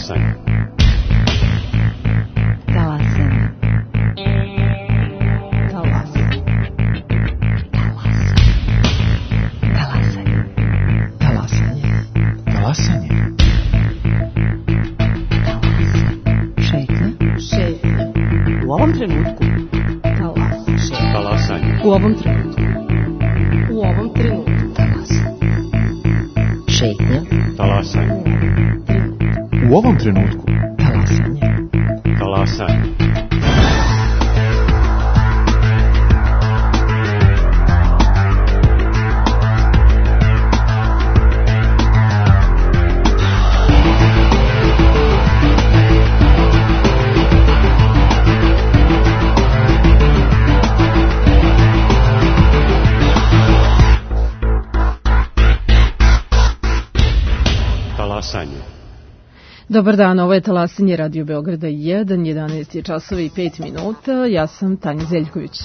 Talasanje. Talasanje. Talasanje. Talasanje. Talasanje. Talasanje. Šetnja. Šetnja. U ovom trenutku. Talasanje. Talasanje. U ovom trenutku. U ovom trenutku. Talasanje. Šetnja. Talasanje. U ovom trenutku. Talasanje. Talasanje. Talasanje. Dobar dan, ovo je Talasanje Radio Beograda 1, 11 je časova i 5 minuta, ja sam Tanja Zeljković.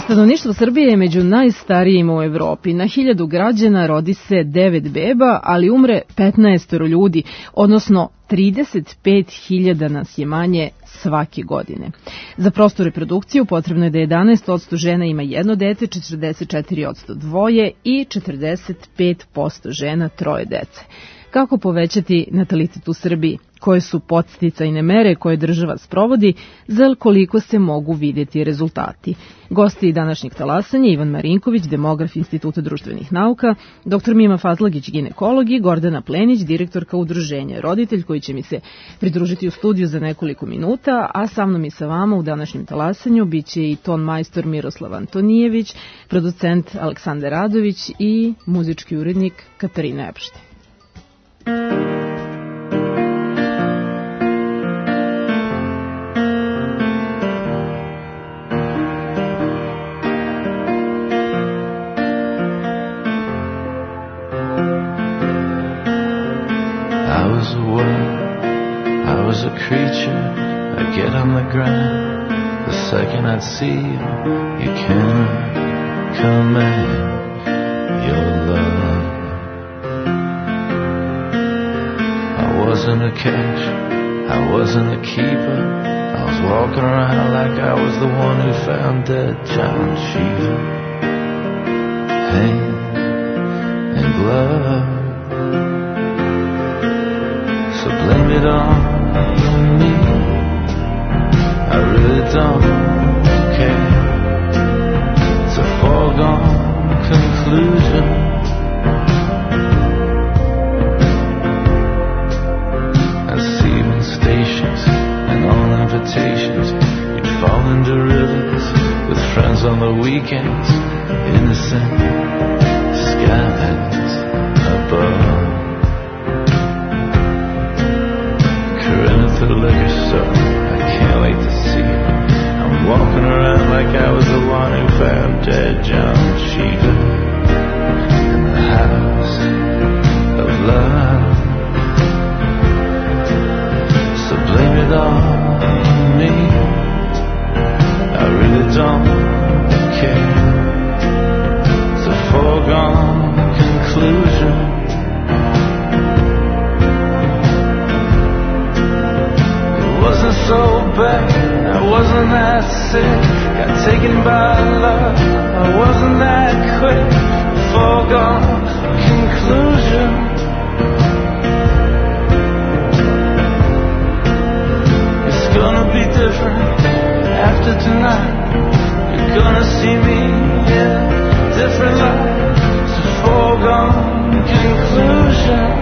Stanovništvo Srbije je među najstarijima u Evropi. Na 1000 građana rodi se 9 beba, ali umre 15 ljudi, odnosno 35.000 nas je manje svake godine. Za prostu reprodukciju potrebno je da 11% žena ima jedno dete, 44% dvoje i 45% žena troje dece. Kako povećati natalitet u Srbiji? Koje su podsticajne mere koje država sprovodi, za koliko se mogu vidjeti rezultati? Gosti današnjeg talasanja Ivan Marinković, demograf Instituta društvenih nauka, dr. Mima Fazlagić, ginekolog i Gordana Plenić, direktorka udruženja Roditelj, koji će mi se pridružiti u studiju za nekoliko minuta, a sa mnom i sa vama u današnjem talasanju bit će i ton majstor Miroslav Antonijević, producent Aleksandar Radović i muzički urednik Katarina Epštin. Creature, I get on the ground. The second I'd see you, you cannot command your love. I wasn't a catch, I wasn't a keeper. I was walking around like I was the one who found dead John Cheever. Hand and glove, so blame it on me. I really don't care. It's a foregone conclusion. I see you in stations and on invitations. You'd fall into rivers with friends on the weekends. Innocent skies above. To the liquor store, I can't wait to see you. I'm walking around like I was the one who found dead John Cheever in the house of love. So blame it on me. I really don't care. It's a foregone conclusion. So bad, I wasn't that sick. Got taken by love, I wasn't that quick. Foregone conclusion. It's gonna be different after tonight. You're gonna see me in a different light. It's a foregone conclusion.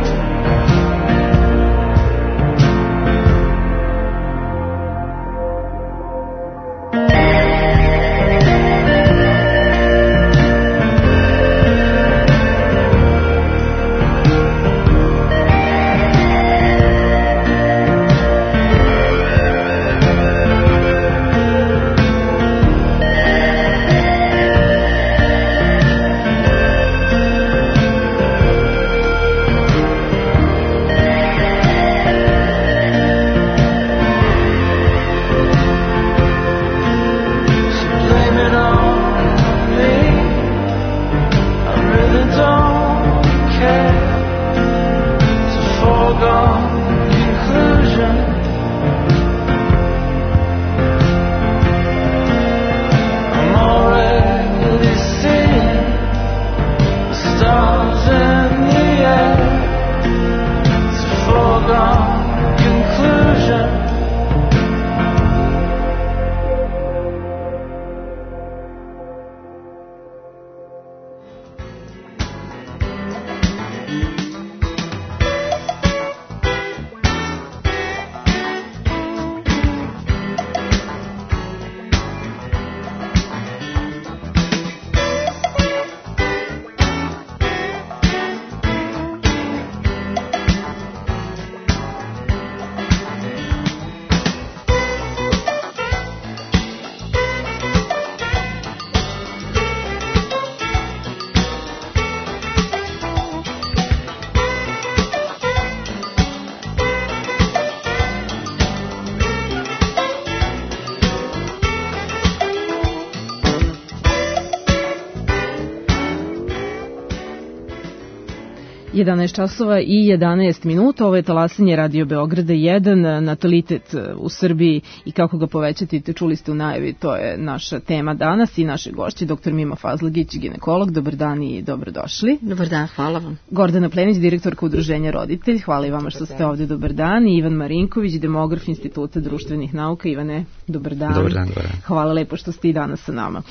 11 časova i 11 minuta, ovo je talasanje Radio Beograda 1, natalitet u Srbiji i kako ga povećati, čuli ste u najavi, to je naša tema danas i naše gošće, dr. Mima Fazlagić, ginekolog, dobar dan i dobrodošli. Dobar dan, hvala vam. Gordana Plenić, direktorka Udruženja Roditelj, hvala i vama što ste ovde, dobar dan. I Ivan Marinković, demograf Instituta društvenih nauka. Ivane, dobar dan. Dobar dan, dobar dan. Hvala lepo što ste i danas sa nama.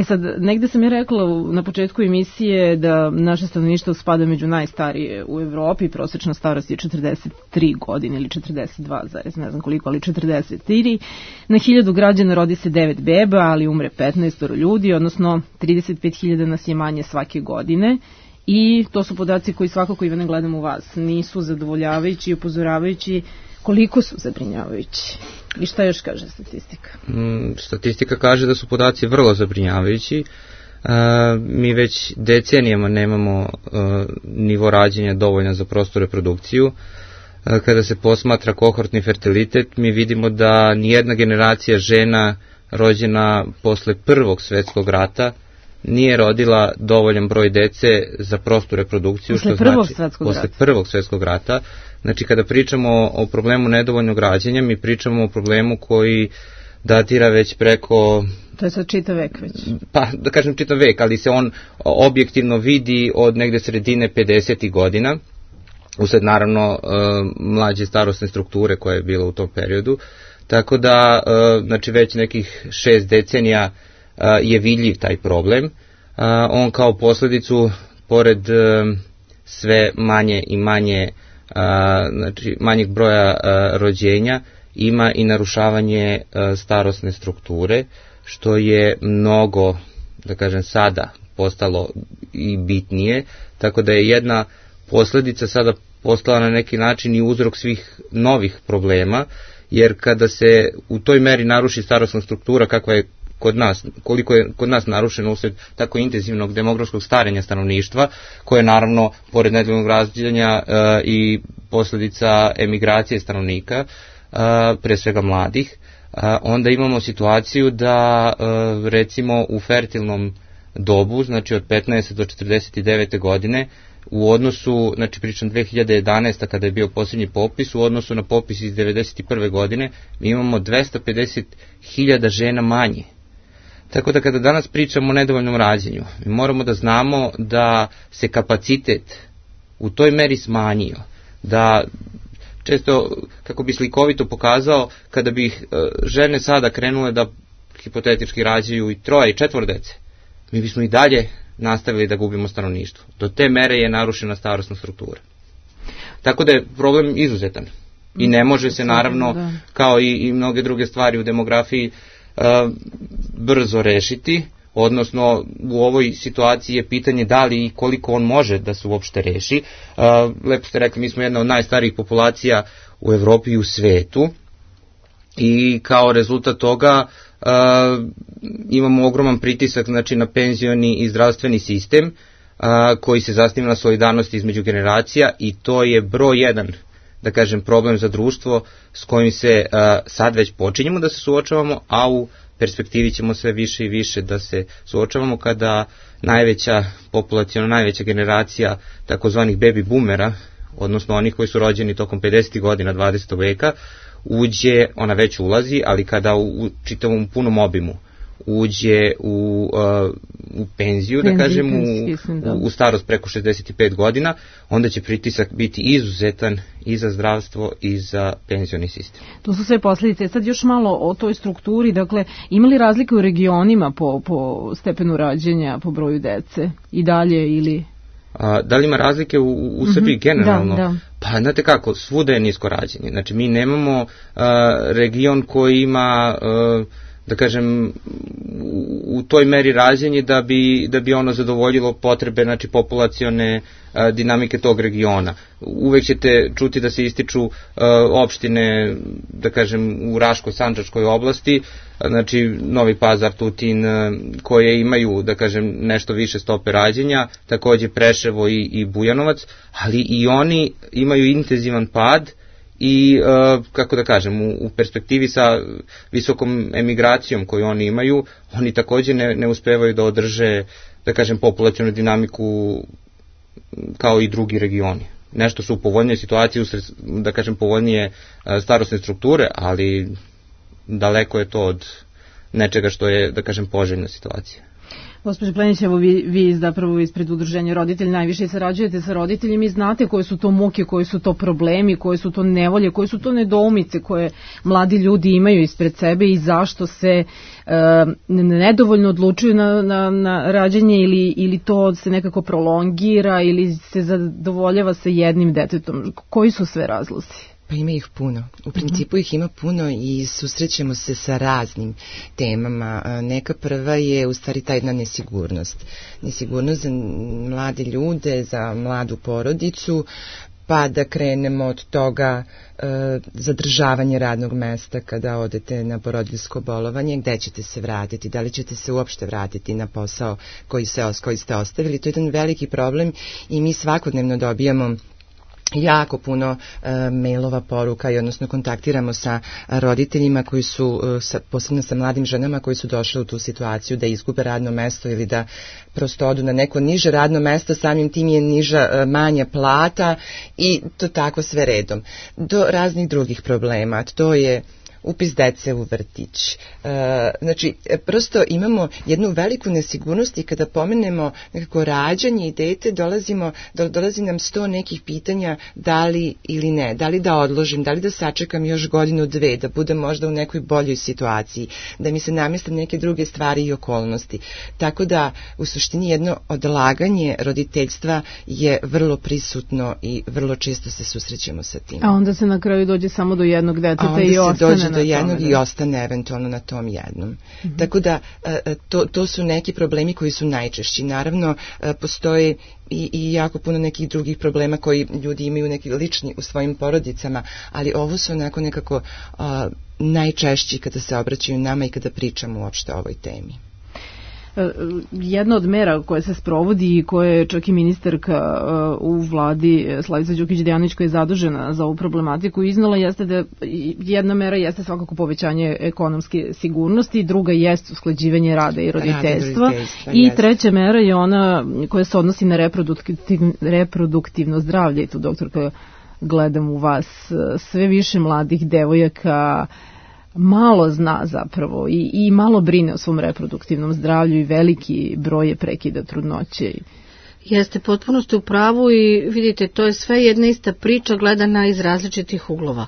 Sad, negde sam ja rekla na početku emisije da naše stanovništvo spada među najstarije u Evropi, prosečna starost je 43 godine ili 42, ne znam koliko, ali 43. Na 1000 građana rodi se 9 beba, ali umre 15 ljudi, odnosno 35.000 nas je manje svake godine. I to su podaci koji svakako, Ivane, gledam u vas, nisu zadovoljavajući i upozoravajući. Koliko su zabrinjavajući? I šta još kaže statistika? Statistika kaže da su podaci vrlo zabrinjavajući. Mi već decenijama nemamo nivo rađenja dovoljno za prostu reprodukciju. Kada se posmatra kohortni fertilitet, mi vidimo da nijedna generacija žena rođena posle Prvog svetskog rata nije rodila dovoljan broj dece za prostu reprodukciju. Posle Prvog svetskog rata. Znači, kada pričamo o problemu nedovoljnog rađenja, mi pričamo o problemu koji datira već preko... To je sad čitav vek već. Pa, da kažem čitav vek, ali se on objektivno vidi od negde sredine 50. godina, usled naravno mlađe starosne strukture koja je bila u tom periodu. Tako da, znači već nekih 6 decenija je vidljiv taj problem. On kao posledicu, pored sve manje i manje, znači manjeg broja rođenja, ima i narušavanje starosne strukture, što je mnogo, da kažem, sada postalo i bitnije, tako da je jedna posledica sada postala na neki način i uzrok svih novih problema, jer kada se u toj meri naruši starosna struktura kakva je kod nas, koliko je kod nas narušeno usled tako intenzivnog demografskog starenja stanovništva, koje je naravno, pored nedovoljnog rađanja i posledica emigracije stanovnika, pre svega mladih, onda imamo situaciju da recimo u fertilnom dobu, znači od 15. do 49. godine, u odnosu, znači pričam 2011. kada je bio posljednji popis, u odnosu na popis iz 1991. godine, mi imamo 250.000 žena manje. Tako da kada danas pričamo o nedovoljnom rađenju, mi moramo da znamo da se kapacitet u toj meri smanjio, da često, kako bi slikovito pokazao, kada bi žene sada krenule da hipotetički rađaju i 3 i 4 dece, mi bismo i dalje nastavili da gubimo stanovništvo. Do te mere je narušena starosna struktura. Tako da je problem izuzetan. I ne može se naravno, kao i mnoge druge stvari u demografiji, brzo rešiti, odnosno u ovoj situaciji je pitanje da li i koliko on može da se uopšte reši. Lepo ste rekli, mi smo jedna od najstarijih populacija u Evropi i u svetu i kao rezultat toga imamo ogroman pritisak, znači, na penzioni i zdravstveni sistem koji se zasniva na solidarnosti između generacija i to je broj 1, da kažem, problem za društvo s kojim se sad već počinjemo da se suočavamo, a u perspektivi ćemo sve više i više da se suočavamo kada populacijalno najveća generacija takozvanih baby boomera, odnosno onih koji su rođeni tokom 50. godina 20. veka, uđe, ona već ulazi, ali kada u čitavom punom obimu uđe u penziju, da kažem, u starost preko 65 godina, onda će pritisak biti izuzetan i za zdravstvo i za penzioni sistem. To su sve posljedice. Sad još malo o toj strukturi, dakle, ima li razlike u regionima po stepenu rađenja, po broju dece i dalje ili... Da li ima razlike u Srbiji generalno? Da. Pa znate kako, svuda je nisko rađenje. Znači mi nemamo region koji ima, da kažem, u toj meri rađenje da bi ono zadovoljilo potrebe, znači, populacione dinamike tog regiona. Uvek ćete čuti da se ističu opštine, da kažem, u Raško-Sandžačkoj oblasti, znači Novi Pazar, Tutin, koje imaju, da kažem, nešto više stope rađenja, takođe Preševo i Bujanovac, ali i oni imaju intenzivan pad i, kako da kažem, u perspektivi sa visokom emigracijom koju oni imaju, oni takođe ne uspevaju da održe, da kažem, populacionu dinamiku kao i drugi regioni. Nešto su u povoljnije situaciji, da kažem povoljnije starosne strukture, ali daleko je to od nečega što je, da kažem, poželjna situacija. Gospođo Plenić, evo vi zapravo ispred udruženja roditelji najviše sarađujete sa roditeljima i znate koje su to muke, koji su to problemi, koje su to nevolje, koje su to nedoumice koje mladi ljudi imaju ispred sebe i zašto se nedovoljno odlučuju na rađanje ili to se nekako prolongira ili se zadovoljava sa jednim detetom. Koji su sve razlozi? Pa ima ih puno. U principu ih ima puno i susrećemo se sa raznim temama. Neka prva je u stvari ta jedna nesigurnost. Nesigurnost za mlade ljude, za mladu porodicu, pa da krenemo od toga zadržavanje radnog mesta kada odete na porodiljsko bolovanje, gde ćete se vratiti, da li ćete se uopšte vratiti na posao koji ste ostavili. To je jedan veliki problem i mi svakodnevno dobijamo jako puno mailova, poruka i odnosno kontaktiramo sa roditeljima koji su, posebno sa mladim ženama koji su došle u tu situaciju da izgube radno mesto ili da prosto odu na neko niže radno mesto, samim tim je niža, manja plata i to tako sve redom. Do raznih drugih problema, to je upis dece u vrtić. Znači, prosto imamo jednu veliku nesigurnost i kada pomenemo nekako rađanje i dete, dolazi nam 100 nekih pitanja da li ili ne, da li da odložim, da li da sačekam još godinu, dve, da budem možda u nekoj boljoj situaciji, da mi se nameste neke druge stvari i okolnosti. Tako da, u suštini jedno odlaganje roditeljstva je vrlo prisutno i vrlo često se susrećemo sa tim. A onda se na kraju dođe samo do jednog deteta i ostane do jednog i ostane eventualno na tom jednom. Tako da to su neki problemi koji su najčešći. Naravno, postoje i jako puno nekih drugih problema koji ljudi imaju neki lični u svojim porodicama, ali ovo su onako nekako najčešći kada se obraćaju nama i kada pričamo uopšte o ovoj temi. Jedna od mera koja se sprovodi i koje je čak i ministarka u vladi Slavica Đukić-Dejanović koja je zadužena za ovu problematiku iznala jeste da jedna mera jeste svakako povećanje ekonomske sigurnosti, druga jeste usklađivanje rada i roditeljstva i treća mera je ona koja se odnosi na reproduktivno zdravlje i tu doktorka gledam u vas sve više mladih devojaka malo zna zapravo i malo brine o svom reproduktivnom zdravlju i veliki broj je prekida trudnoće. Jeste, potpuno ste u pravu i vidite, to je sve jedna ista priča gledana iz različitih uglova.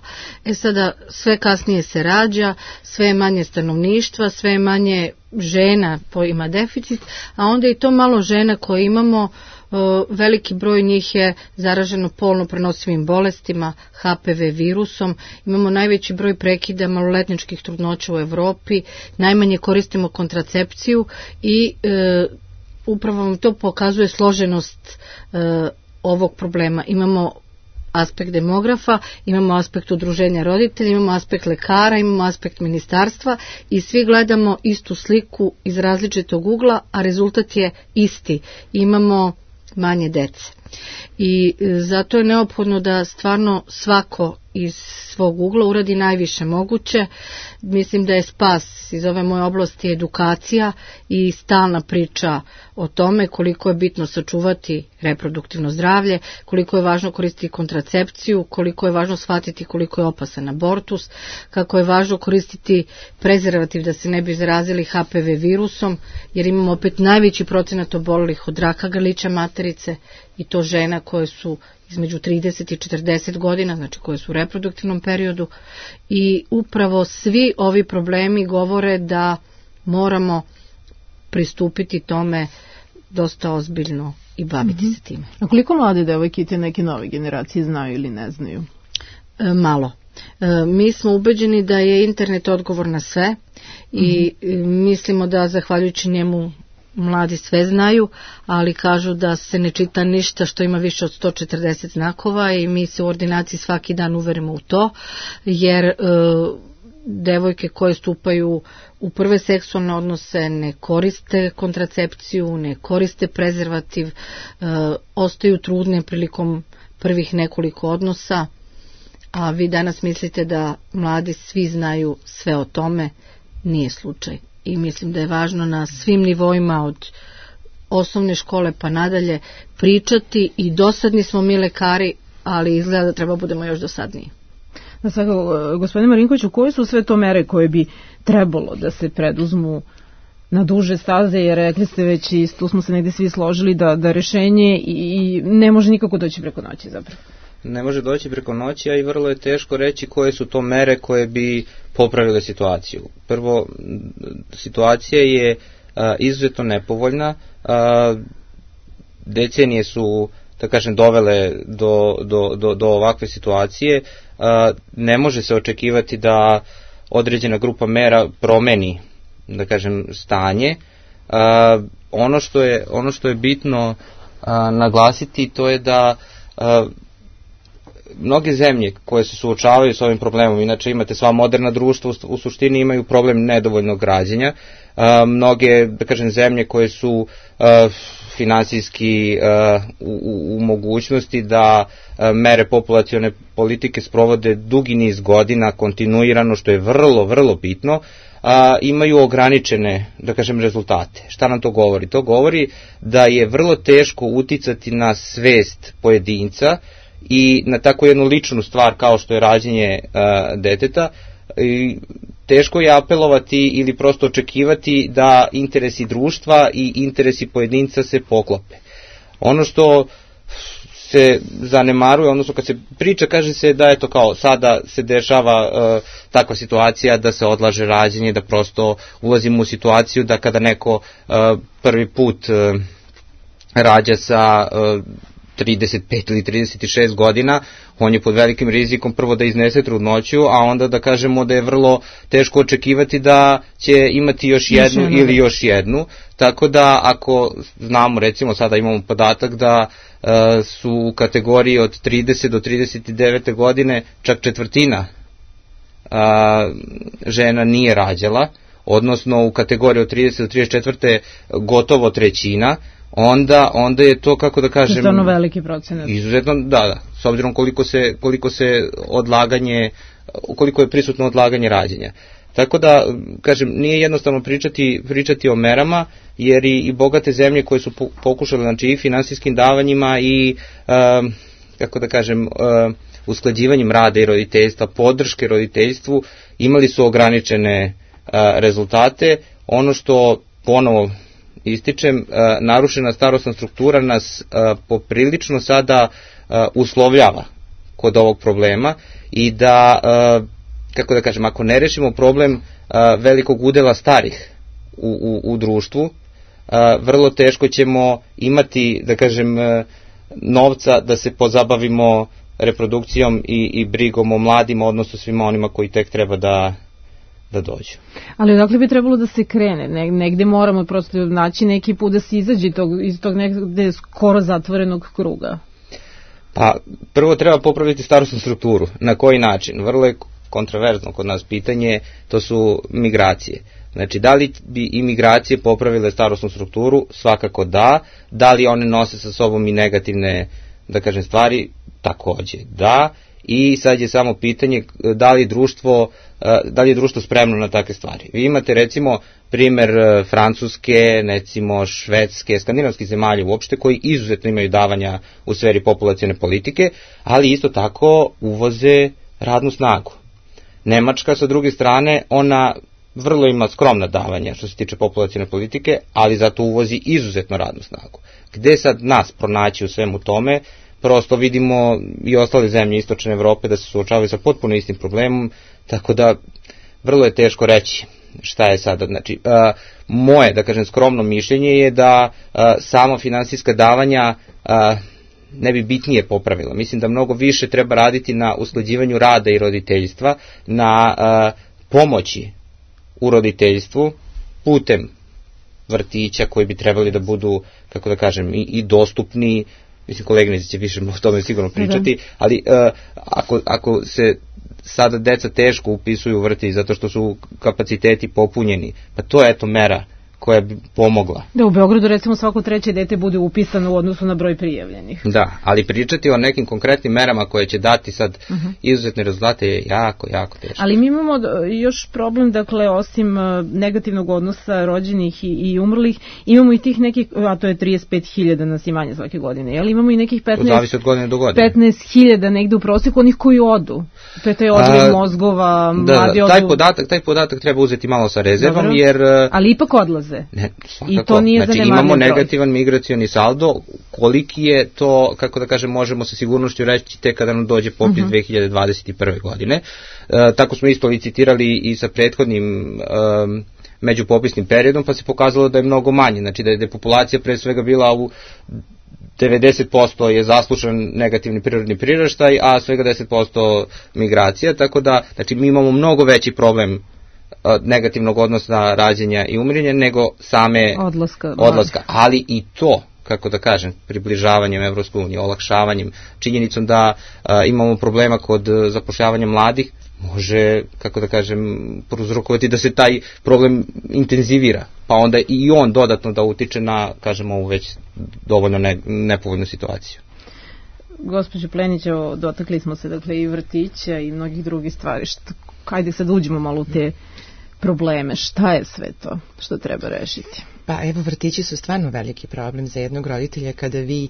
Sada sve kasnije se rađa, sve je manje stanovništva, sve je manje žena koji ima deficit, a onda i to malo žena koje imamo, veliki broj njih je zaraženo polno prenosivim bolestima, HPV virusom, imamo najveći broj prekida maloletničkih trudnoća u Evropi, najmanje koristimo kontracepciju i upravo vam to pokazuje složenost ovog problema. Imamo aspekt demografa, imamo aspekt udruženja roditelja, imamo aspekt lekara, imamo aspekt ministarstva i svi gledamo istu sliku iz različitog ugla, a rezultat je isti. Imamo manje dece. I zato je neophodno da stvarno svako iz svog ugla uradi najviše moguće. Mislim da je spas iz ove moje oblasti edukacija i stalna priča o tome koliko je bitno sačuvati reproduktivno zdravlje, koliko je važno koristiti kontracepciju, koliko je važno shvatiti koliko je opasan abortus, kako je važno koristiti prezervativ da se ne bi zarazili HPV virusom, jer imamo opet najveći procenat obolelih od raka grlića materice i to žena koje su između 30 i 40 godina, znači koje su u reproduktivnom periodu i upravo svi ovi problemi govore da moramo pristupiti tome dosta ozbiljno i baviti se time. A koliko mlade devojke i te neke nove generacije znaju ili ne znaju? Malo. Mi smo ubeđeni da je internet odgovor na sve i mislimo da zahvaljujući njemu mladi sve znaju, ali kažu da se ne čita ništa što ima više od 140 znakova i mi se u ordinaciji svaki dan uverimo u to, jer devojke koje stupaju u prve seksualne odnose ne koriste kontracepciju, ne koriste prezervativ, ostaju trudne prilikom prvih nekoliko odnosa, a vi danas mislite da mladi svi znaju sve o tome, nije slučaj. I mislim da je važno na svim nivoima od osnovne škole pa nadalje pričati i dosadni smo mi lekari, ali izgleda da treba budemo još dosadniji. Da, svakako, gospodine Marinkoviću, koje su sve to mere koje bi trebalo da se preduzmu na duže staze, jer rekli ste već i tu smo se negde svi složili da rešenje i ne može nikako doći preko noći zapravo. Ne može doći preko noći, a i vrlo je teško reći koje su to mere koje bi popravile situaciju. Prvo, situacija je izuzetno nepovoljna, decenije su, da kažem, dovele do ovakve situacije, ne može se očekivati da određena grupa mera promeni, da kažem, stanje. Ono što je bitno naglasiti, to je da mnoge zemlje koje se suočavaju s ovim problemom, inače imate sva moderna društva u suštini imaju problem nedovoljnog rađenja, mnoge, da kažem, zemlje koje su finansijski u mogućnosti da mere populacione politike sprovode dugi niz godina kontinuirano, što je vrlo, vrlo bitno, imaju ograničene, da kažem, rezultate. Šta nam to govori? To govori da je vrlo teško uticati na svest pojedinca i na tako jednu ličnu stvar kao što je rađenje deteta. I teško je apelovati ili prosto očekivati da interesi društva i interesi pojedinca se poklope. Ono što se zanemaruje, odnosno kad se priča, kaže se da je to kao sada se dešava takva situacija da se odlaže rađenje, da prosto ulazimo u situaciju da kada neko prvi put rađa sa 35 ili 36 godina, on je pod velikim rizikom prvo da iznese trudnoću, a onda da kažemo da je vrlo teško očekivati da će imati još jednu ili još jednu. Tako da ako znamo, recimo sada imamo podatak da su u kategoriji od 30 do 39 godine čak četvrtina žena nije rađala, odnosno u kategoriji od 30 do 34 gotovo trećina, onda je to, kako da kažem, izuzetno veliki procenat. Izuzetno, da, s obzirom koliko je prisutno odlaganje rađenja. Tako da, kažem, nije jednostavno pričati o merama, jer i bogate zemlje koje su pokušale, znači, i finansijskim davanjima i, kako da kažem, usklađivanjem rada i roditeljstva, podrške roditeljstvu, imali su ograničene rezultate. Ono što ponovo ističem, narušena starosna struktura nas poprilično sada uslovljava kod ovog problema i da, kako da kažem, ako ne rešimo problem velikog udela starih u društvu, vrlo teško ćemo imati, da kažem, novca da se pozabavimo reprodukcijom i brigom o mladima, odnosno svima onima koji tek treba da dođu. Ali odakle bi trebalo da se krene? Negde moramo prosto naći neki put da se izađe iz tog negde skoro zatvorenog kruga. Pa, prvo treba popraviti starosnu strukturu. Na koji način? Vrlo je kontroverzno kod nas pitanje, to su migracije. Znači, da li bi i migracije popravile starosnu strukturu? Svakako da. Da li one nose sa sobom i negativne, da kažem, stvari? Takođe da. I sad je samo pitanje da li je društvo spremno na takve stvari. Vi imate, recimo, primer Francuske, recimo Švedske, skandinavskih zemalja uopšte, koji izuzetno imaju davanja u sferi populacione politike, ali isto tako uvoze radnu snagu. Nemačka, sa druge strane, ona vrlo ima skromna davanja što se tiče populacione politike, ali zato uvozi izuzetno radnu snagu. Gde sad nas pronaći u svemu tome? Prosto vidimo i ostale zemlje istočne Evrope da se suočavaju sa potpuno istim problemom, tako da vrlo je teško reći šta je sada. Znači, moje, da kažem, skromno mišljenje je da samo finansijska davanja ne bi bitnije popravila. Mislim da mnogo više treba raditi na usklađivanju rada i roditeljstva, na pomoći u roditeljstvu putem vrtića koji bi trebali da budu, kako da kažem, i dostupni. Mislim, koleginici će više o tome sigurno pričati, ali ako se sada deca teško upisuju u vrtić zato što su kapaciteti popunjeni, pa to je eto mera koja bi pomogla. Da, u Beogradu recimo svako treće dete bude upisano u odnosu na broj prijavljenih. Da, ali pričati o nekim konkretnim merama koje će dati sad izuzetne rezultate je jako, jako teško. Ali mi imamo još problem, dakle, osim negativnog odnosa rođenih i umrlih, imamo i tih nekih, a to je 35.000 nas i manje svake godine, jel? Imamo i nekih 15... Zavisi od godine do godine. 15.000 negde u prosjeku, onih koji odu. To je taj odliv mozgova, mladi odu... Taj podatak treba uzeti malo sa rezervom, dobro, jer... Ali ipak odlaze. Ne, i to nije znači, imamo negativan migracioni saldo, koliki je to, kako da kažem, možemo sa sigurnošću reći tek kada nam dođe popis 2021. godine. Tako smo isto licitirali i sa prethodnim međupopisnim periodom, pa se pokazalo da je mnogo manje, znači da je populacija pre svega bila u 90% je zaslušan negativni prirodni priraštaj, a svega 10% migracija, tako da znači, mi imamo mnogo veći problem negativnog odnosa rađenja i umirenja nego same odlaska. Ali i to, kako da kažem, približavanjem Evropskoj uniji, olakšavanjem, činjenicom da imamo problema kod zapošljavanja mladih, može, kako da kažem, prouzrokovati da se taj problem intenzivira, pa onda i on dodatno da utiče na, kažemo, ovu već dovoljno nepovoljnu situaciju. Gospođo Plenić, dotakli smo se dakle i vrtića i mnogih drugih stvari. Hajde sad uđemo malo u te probleme. Šta je sve to što treba rešiti? Pa evo, vrtići su stvarno veliki problem za jednog roditelja kada vi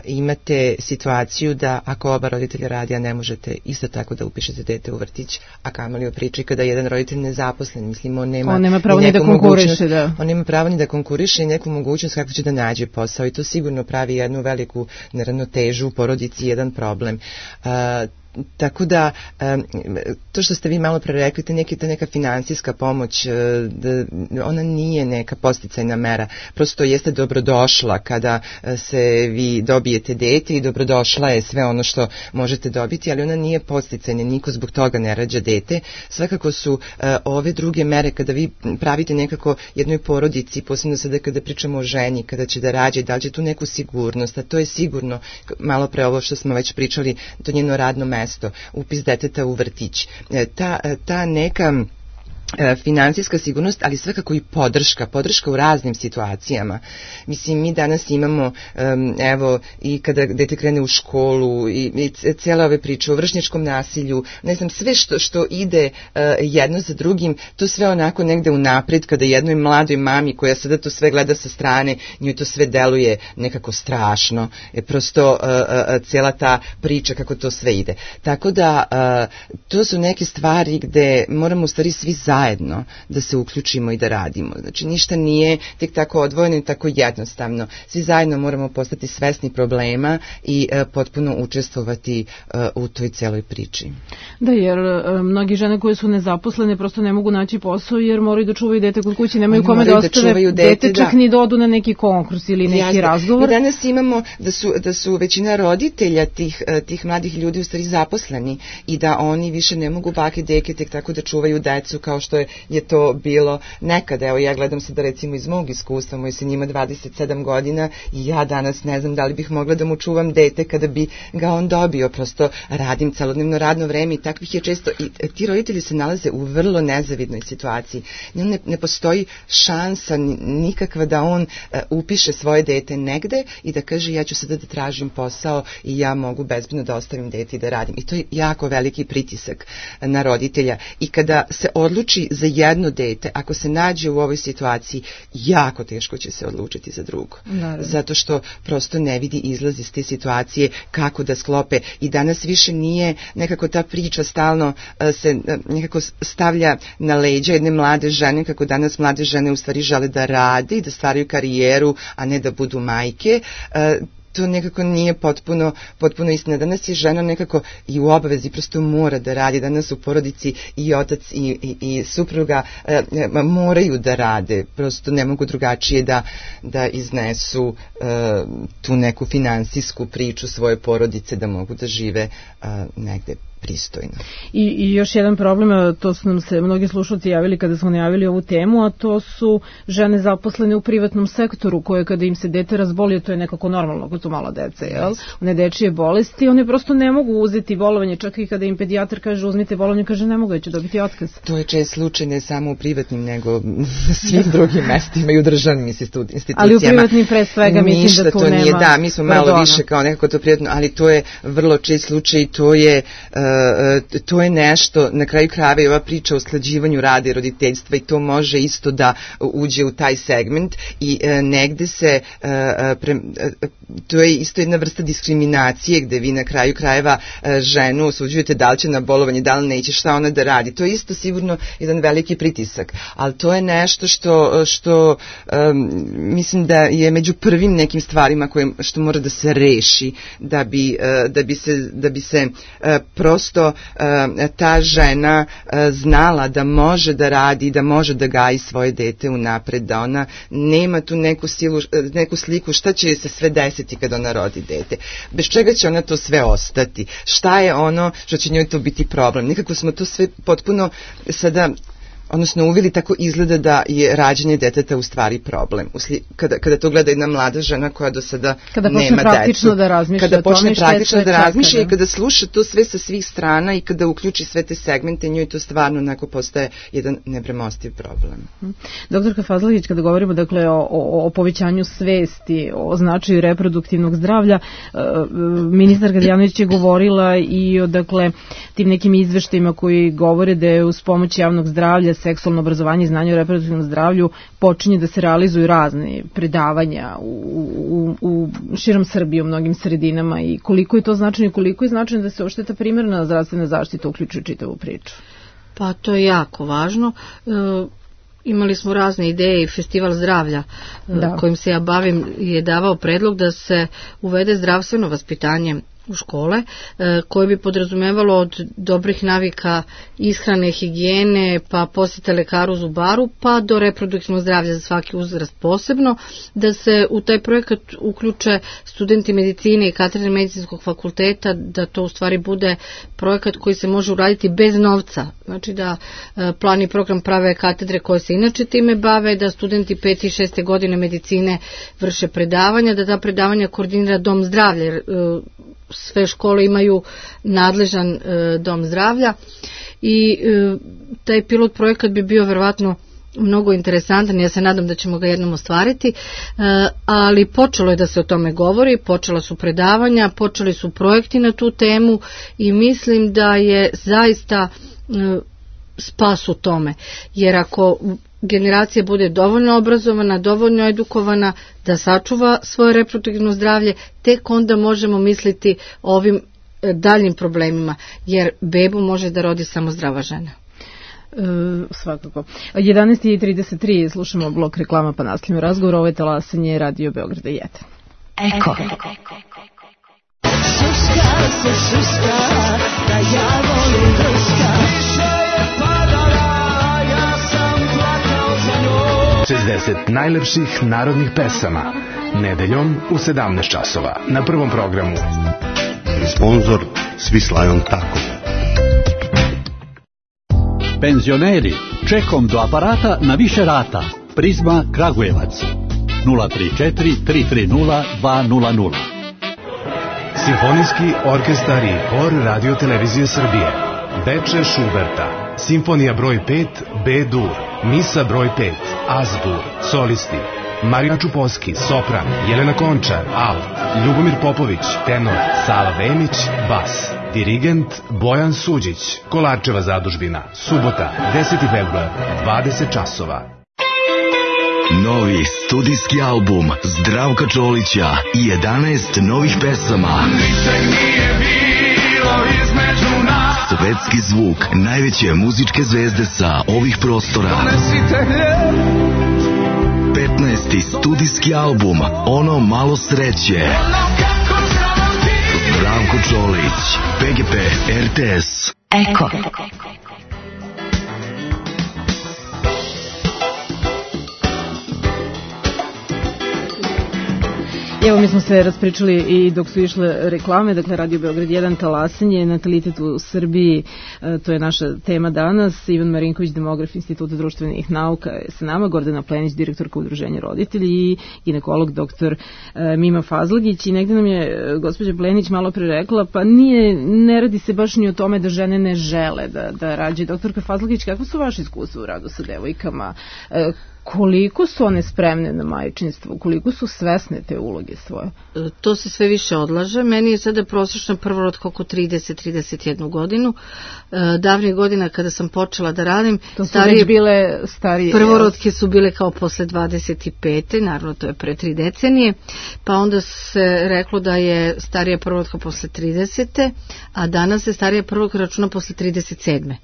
imate situaciju da ako oba roditelja radi, a ne možete isto tako da upišete dete u vrtić, a kamoli o priči kada jedan roditelj nezaposlen, mislim, on nema pravo ni da konkuriše, da. On nema pravo ni da konkuriše i neku mogućnost kako će da nađe posao i to sigurno pravi jednu veliku neravnotežu u porodici, jedan problem. Tako da, to što ste vi malo pre rekli, ta neka finansijska pomoć, ona nije neka posticajna mera, prosto jeste dobrodošla kada se vi dobijete dete i dobrodošla je sve ono što možete dobiti, ali ona nije posticajna, niko zbog toga ne rađa dete. Svakako su ove druge mere kada vi pravite nekako jednoj porodici, posebno sada kada pričamo o ženi, kada će da rađe, da li će tu neku sigurnost, a to je sigurno, malo pre ovo što smo već pričali, to njeno radno mesto, upis deteta u vrtić. Ta neka finansijska sigurnost, ali svakako i podrška u raznim situacijama. Mislim, mi danas imamo, evo, i kada dete krene u školu i cijela ove priče o vršnjačkom nasilju, ne znam, sve što ide jedno za drugim, to sve onako negde unapred, kada jednoj mladoj mami koja sada to sve gleda sa strane, njoj to sve deluje nekako strašno. Prosto cijela ta priča kako to sve ide. Tako da, to su neke stvari gde moramo u stvari svi zajedno da se uključimo i da radimo. Znači, ništa nije tek tako odvojeno i tako jednostavno. Svi zajedno moramo postati svesni problema i potpuno učestvovati u toj celoj priči. Da, jer mnogi žene koje su nezaposlene prosto ne mogu naći posao jer moraju da čuvaju dete kod kuće, nemaju kome da ostave dete, čak ni da odu na neki konkurs ili neki razgovor. Mi danas imamo da su većina roditelja tih mladih ljudi u stvari zaposleni i da oni više ne mogu bake deke tek tako da čuvaju decu kao što je to bilo nekada. Evo, ja gledam se da recimo iz mog iskustva, moj sin ima 27 godina i ja danas ne znam da li bih mogla da mu čuvam dete kada bi ga on dobio. Prosto radim celodnevno radno vreme i takvih je često. I ti roditelji se nalaze u vrlo nezavidnoj situaciji. Ne postoji šansa nikakva da on upiše svoje dete negde i da kaže ja ću sada da tražim posao i ja mogu bezbedno da ostavim dete i da radim. I to je jako veliki pritisak na roditelja. I kada se odluči za jedno dete, ako se nađe u ovoj situaciji, jako teško će se odlučiti za drugo. Naravno. Zato što prosto ne vidi izlaz iz te situacije, kako da sklope. I danas više nije nekako ta priča stalno se nekako stavlja na leđa jedne mlade žene, kako danas mlade žene u stvari žele da rade i da stvaraju karijeru, a ne da budu majke. To nekako nije potpuno istina. Danas je žena nekako i u obavezi, prosto mora da radi. Danas u porodici i otac i supruga moraju da rade. Prosto ne mogu drugačije da iznesu tu neku finansijsku priču svoje porodice, da mogu da žive negde pristojno. I još jedan problem, to su nam se mnogi slušalci javili kada smo najavili ovu temu, a to su žene zaposlene u privatnom sektoru koje kada im se dete razboli, to je nekako normalno kod su mala deca, jel? One dečije bolesti, one prosto ne mogu uzeti bolovanje, čak i kada im pedijatar kaže uzmite bolovanje, kaže ne mogu, ja ću dobiti otkaz. To je čest slučaj ne samo u privatnim, nego na svim drugim mestima i u državnim institucijama. Ali u privatnim pre svega mislim da tu nema. Nije, da, mi smo malo više kao nekako to privatno, ali to je vrlo čest slučaj i to je nešto, na kraju krajeva i ova priča o usklađivanju rada i roditeljstva i to može isto da uđe u taj segment i negde se, to je isto jedna vrsta diskriminacije gde vi na kraju krajeva ženu osuđujete da li će na bolovanje, da li neće, šta ona da radi. To je isto sigurno jedan veliki pritisak, ali to je nešto što mislim da je među prvim nekim stvarima što mora da se reši da bi se prosto ta žena znala da može da radi, da može da gaji svoje dete unapred, da ona nema tu neku sliku šta će se sve desiti kada ona rodi dete. Bez čega će ona to sve ostati? Šta je ono što će njoj to biti problem? Nekako smo to sve potpuno sada odnosno uvili tako izgleda da je rađanje deteta u stvari problem. Kada to gleda jedna mlada žena koja do sada nema decu. Kada počne praktično da razmišlja i kada sluša to sve sa svih strana i kada uključi sve te segmente, njoj to stvarno onako postaje jedan nepremostiv problem. Doktorka Fazlagić, kada govorimo dakle o povećanju svesti, o značaju reproduktivnog zdravlja, ministar Gadjanović je govorila i o dakle tim nekim izveštajima koji govore da je uz pomoć javnog zdravlja, seksualno obrazovanje i znanje o reproduktivnom zdravlju počinje da se realizuju razne predavanja u širom Srbije, u mnogim sredinama i koliko je to značajno i koliko je značajno da se uopšte ta primarna zdravstvena zaštita uključuje čitavu priču. Pa to je jako važno. Imali smo razne ideje i Festival zdravlja kojim se ja bavim je davao predlog da se uvede zdravstveno vaspitanje u škole, koje bi podrazumevalo od dobrih navika ishrane, higijene, pa posjete lekaru, zubaru, pa do reproduktivnog zdravlja za svaki uzrast posebno, da se u taj projekat uključe studenti medicine i katedre medicinskog fakulteta, da to u stvari bude projekat koji se može uraditi bez novca, znači da plan i program prave katedre koje se inače time bave, da studenti 5. i 6. godine medicine vrše predavanja, da ta predavanja koordinira dom zdravlja, jer sve škole imaju nadležan dom zdravlja i taj pilot projekat bi bio verovatno mnogo interesantan, ja se nadam da ćemo ga jednom ostvariti, ali počelo je da se o tome govori, počela su predavanja, počeli su projekti na tu temu i mislim da je zaista spas u tome, jer ako generacija bude dovoljno obrazovana, dovoljno edukovana da sačuva svoje reproduktivno zdravlje, tek onda možemo misliti o ovim daljim problemima, jer bebu može da rodi samo zdrava žena. Svakako. 11:33 slušamo blok reklama pa nastavljamo razgovor. Ovo je Talasanje Radio Beograda 1. Eko. Šuška se šuška, da ja volim drška. Više je padala, ja sam plakao za njom. 60 najlepših narodnih pesama. Nedeljom u 17 časova. Na Prvom programu. Sponzor Svislajon Tako. Penzioneri, čekom do aparata na više rata. Prizma Kragujevac 034 330 200. Simfonijski orkestar i hor Radio Televizije Srbije. Beče Šuberta. Simfonija broj 5 B-dur. Misa broj 5 Az-dur. Solisti Marina Čuposki, sopran, Jelena Končar, alt, Ljubomir Popović, tenor, Sava Vemić, bas. Dirigent Bojan Suđić, Kolarčeva zadužbina, subota, 10. februar, 20 časova. Novi studijski album Zdravka Čolića i 11 novih pesama. Svetski zvuk najveće muzičke zvezde sa ovih prostora. 15. studijski album Ono malo sreće. Zdravko Čolić, PGP RTS. Eko. Evo, mi smo se raspričali i dok su išle reklame, dakle Radio Beograd 1, talasanje, natalitet u Srbiji, to je naša tema danas. Ivan Marinković, demograf Instituta društvenih nauka je sa nama, Gordana Plenić, direktorka Udruženja roditelji i ginekolog doktor Mima Fazlagić. I negde nam je gospođa Plenić malo pre rekla, pa ne radi se baš ni o tome da žene ne žele da rađaju. Doktorka Fazlagić, kako su vaše iskustva u radu sa devojkama? Koliko su one spremne na majčinstvo, koliko su svesne te uloge svoje? To se sve više odlaže. Meni je sada prosječna prvorotka oko 30-31 godinu. Davnih godina kada sam počela da radim, to su već bile starije. Prvorotke su bile kao posle 25. Naravno, to je pre 3 decenije. Pa onda se reklo da je starija prvorotka posle 30. A danas se starija prvorotka računa posle 37.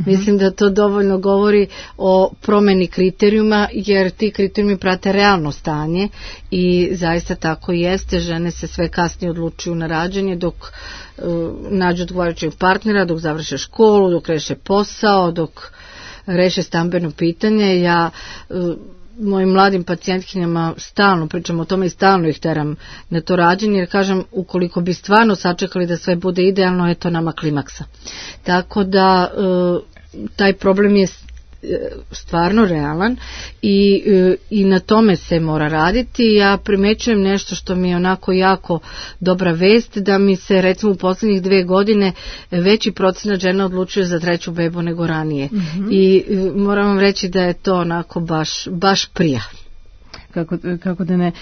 Mislim da to dovoljno govori o promeni kriterijuma, jer ti kriterijumi prate realno stanje i zaista tako jeste. Žene se sve kasnije odlučuju na rađanje dok nađu odgovarajućeg partnera, dok završe školu, dok reše posao, dok reše stambeno pitanje. Ja mojim mladim pacijentkinjama stalno pričam o tome i stalno ih teram na to rađenje, jer kažem, ukoliko bi stvarno sačekali da sve bude idealno, je to nama klimaksa. Tako da taj problem je stvarno realan i na tome se mora raditi. Ja primećujem nešto što mi je onako jako dobra vest, da mi se recimo u poslednjih 2 godine veći procenat žena odlučuje za 3. bebu nego ranije. I moram vam reći da je to onako baš prija. Kako da ne.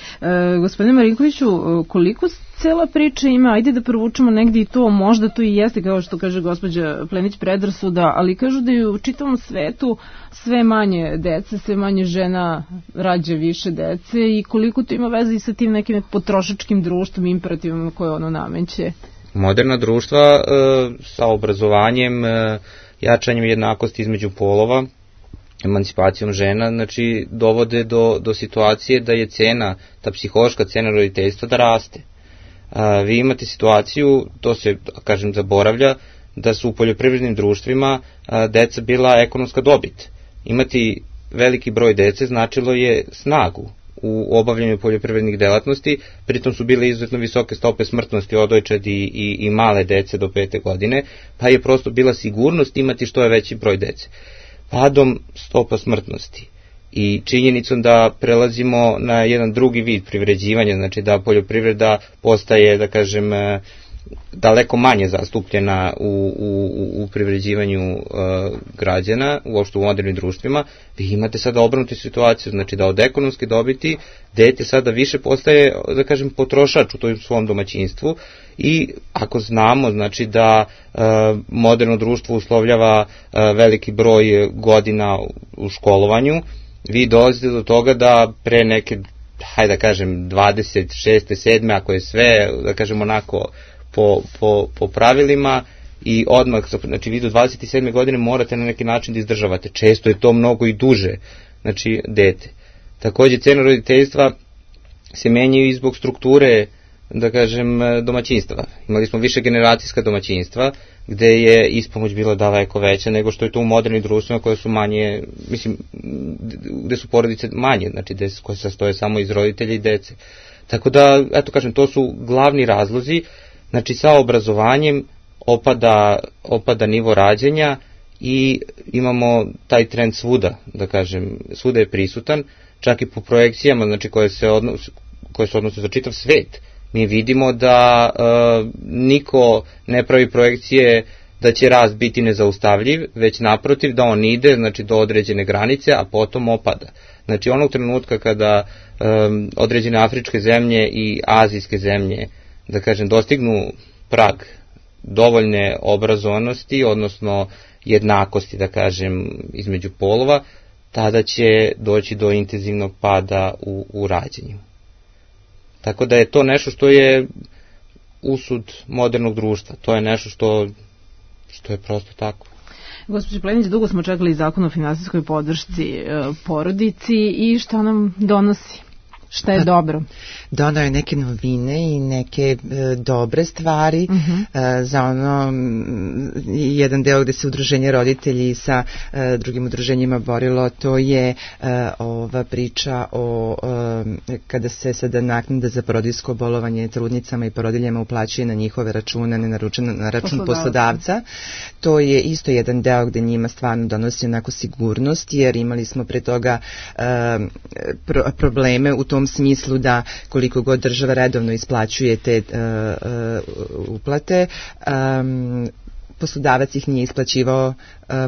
Gospodine Marinkoviću, koliko cela priča ima, ajde da provučemo negdje i to, možda to i jeste, kao što kaže gospođa Plenić, predrasuda, ali kažu da je u čitavom svetu sve manje dece, sve manje žena rađa više dece, i koliko to ima veze i sa tim nekim potrošačkim društvom, imperativima koje ono nameće? Moderna društva sa obrazovanjem, jačanjem jednakosti između polova, emancipacijom žena, znači dovode do situacije da je cena, ta psihološka cena roditeljstva da raste. Vi imate situaciju, to se, kažem, zaboravlja, da su u poljoprivrednim društvima deca bila ekonomska dobit. Imati veliki broj dece značilo je snagu u obavljanju poljoprivrednih delatnosti, pritom su bile izuzetno visoke stope smrtnosti odojčadi i male dece do 5. godine, pa je prosto bila sigurnost imati što je veći broj dece. Padom stopa smrtnosti i činjenicom da prelazimo na jedan drugi vid privređivanja, znači da poljoprivreda postaje, da kažem, daleko manje zastupljena u privređivanju građana, uopšte u modernim društvima, vi imate sada obrnutu situaciju, znači da od ekonomske dobiti dete sada više postaje, da kažem, potrošač u tom svom domaćinstvu. I ako znamo, znači da moderno društvo uslovljava veliki broj godina u školovanju, vi dolazite do toga da pre neke, hajde da kažem, 26. 7. ako je sve, da kažem, onako po pravilima, i odmah, znači vi do 27. godine morate na neki način da izdržavate. Često je to mnogo i duže, znači dete. Takođe, cena roditeljstva se menjaju i zbog strukture, da kažem, domaćinstva. Imali smo više generacijska domaćinstva, gde je ispomoć bila daleko veća nego što je to u modernim društvima koje su manje, mislim, gde su porodice manje, znači koje se sastoje samo iz roditelja i dece. Tako da, eto kažem, to su glavni razlozi. Znači, sa obrazovanjem opada nivo rađanja i imamo taj trend svuda, da kažem, svuda je prisutan, čak i po projekcijama, znači koje se odnose za čitav svet. Mi vidimo da niko ne pravi projekcije da će rast biti nezaustavljiv, već naprotiv da on ide, znači, do određene granice, a potom opada. Znači, onog trenutka kada određene afričke zemlje i azijske zemlje, da kažem, dostignu prag dovoljne obrazovanosti, odnosno jednakosti, da kažem, između polova, tada će doći do intenzivnog pada u rađenju. Tako da je to nešto što je usud modernog društva. To je nešto što je prosto tako. Gospođo Plenić, dugo smo čekali zakon o finansijskoj podršci porodici i šta nam donosi? Šta je dobro? Donao je neke novine i neke dobre stvari za ono jedan deo gde se udruženje roditelji sa drugim udruženjima borilo, to je ova priča o kada se sada naknada za porodiljsko bolovanje trudnicama i porodiljama uplaćuje na njihove račune, ne na račun poslodavca. To je isto jedan deo gde njima stvarno donosi onako sigurnost, jer imali smo pre toga probleme u tom smislu da koliko god država redovno isplaćuje te uplate, poslodavac ih nije isplaćivao